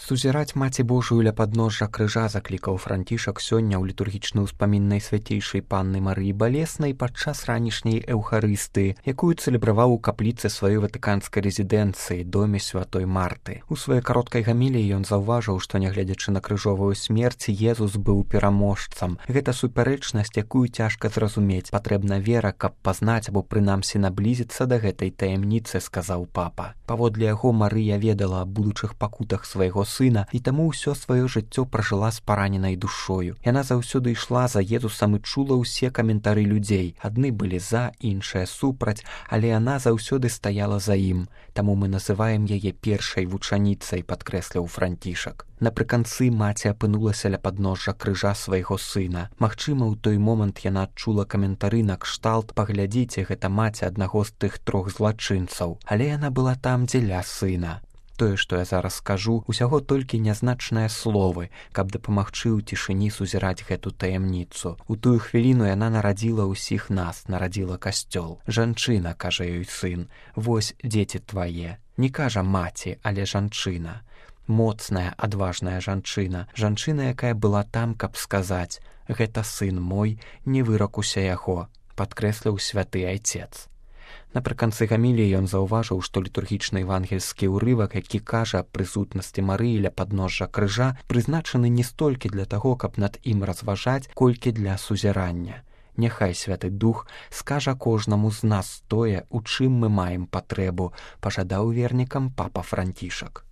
Сузіраць Маці Божую ля падножжа крыжа заклікаў Францішак сёння ў літургічны ўспамін Найсвяцейшай Панны Марыі Балеснай падчас ранішняй эўхарыстыі, якую цэлебраваў у капліцы сваёй ватыканскай рэзідэнцыі, доме святой Марты. У сваёй кароткай гаміліі ён заўважыў, што нягледзячы на крыжовую смерць, Езус быў пераможцам. Гэта супярэчнасць, якую цяжка зразумець. Патрэбна вера, каб пазнаць або прынамсі наблізіцца да гэтай таямніцы, сказаў папа. Паводле яго Марыя ведала аб будучых пакутах свайго сына і таму ўсё сваё жыццё пражыла з параненай душою. Яна заўсёды ішла за Езусам і чула ўсе каментары людзей. Адны былі за, іншыя супраць, але яна заўсёды стаяла за ім. Таму мы называем яе першай вучаніцай, падкрэсліў Францішак. Напрыканцы маці апынулася ля падножжа крыжа свайго сына. Магчыма, у той момант яна адчула каментары накшталт: «Паглядзіце, гэта маці аднаго з тых трох злачынцаў». Але яна была там дзеля сына. Тое, што я зараз скажу, усяго толькі нязначныя словы, каб дапамагчы ў цішыні сузіраць гэту таямніцу. У тую хвіліну яна нарадзіла ўсіх нас, нарадзіла касцёл. «Жанчына», кажа ёй сын, «вось дзеці твае». Не кажа маці, але жанчына. Моцная, адважная жанчына, жанчына, якая была там, каб сказаць: «Гэта сын мой, не выракуся яго», падкрэсліў святы айцец. Напрыканцы гаміліі ён заўважыў, што літургічны евангельскі ўрывак, які кажа аб прысутнасці Марыі ля падножжа крыжа, прызначаны не столькі для таго, каб над ім разважаць, колькі для сузірання. Няхай Святы Дух скажа кожнаму з нас тое, у чым мы маем патрэбу, пажадаў вернікам папа Францішак.